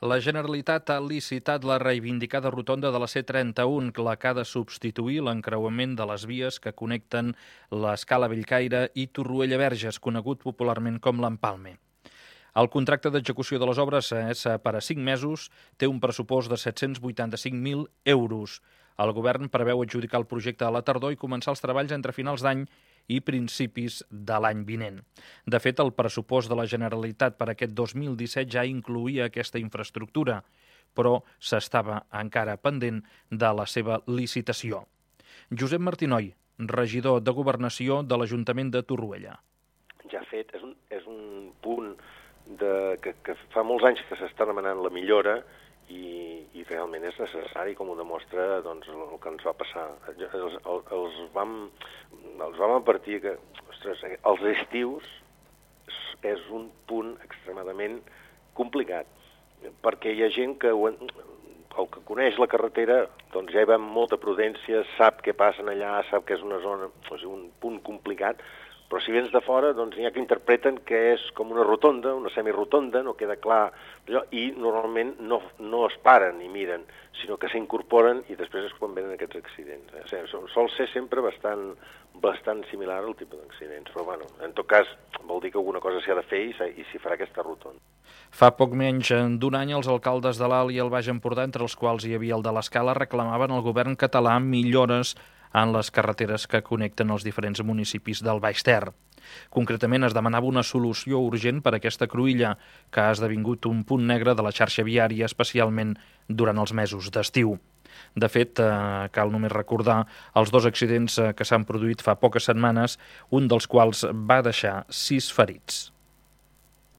La Generalitat ha licitat la reivindicada rotonda de la C31, la que ha de substituir l'encreuament de les vies que connecten l'Escala Bellcaire i Torroella-Verges, conegut popularment com l'Empalme. El contracte d'execució de les obres és per a 5 mesos, té un pressupost de 785.000 euros. El govern preveu adjudicar el projecte a la tardor i començar els treballs entre finals d'any i principis de l'any vinent. De fet, el pressupost de la Generalitat per aquest 2017 ja incloïa aquesta infraestructura, però s'estava encara pendent de la seva licitació. Josep Martinoi, regidor de Governació de l'Ajuntament de Torroella. Ja fet, és un punt que fa molts anys que s'està demanant la millora i realment és necessari, com ho demostra doncs, el que ens va passar. Els vam advertir que, ostres, els estius és un punt extremadament complicat, perquè hi ha gent que el que coneix la carretera doncs ja hi va amb molta prudència, sap què passen allà, sap que és una zona, és un punt complicat, però si vens de fora, doncs n'hi ha que interpreten que és com una rotonda, una semirotonda, no queda clar, i normalment no es paren ni miren, sinó que s'incorporen i després és quan venen aquests accidents. O sigui, sol ser sempre bastant similar al tipus d'accidents, però bueno, en tot cas vol dir que alguna cosa s'ha de fer i s'hi farà aquesta rotonda. Fa poc menys d'un any, els alcaldes de l'Alt i el Baix Empordà, entre els quals hi havia el de l'Escala, reclamaven al govern català millores en les carreteres que connecten els diferents municipis del Baix Ter. Concretament, es demanava una solució urgent per a aquesta cruïlla, que ha esdevingut un punt negre de la xarxa viària, especialment durant els mesos d'estiu. De fet, cal només recordar els 2 accidents que s'han produït fa poques setmanes, un dels quals va deixar 6 ferits.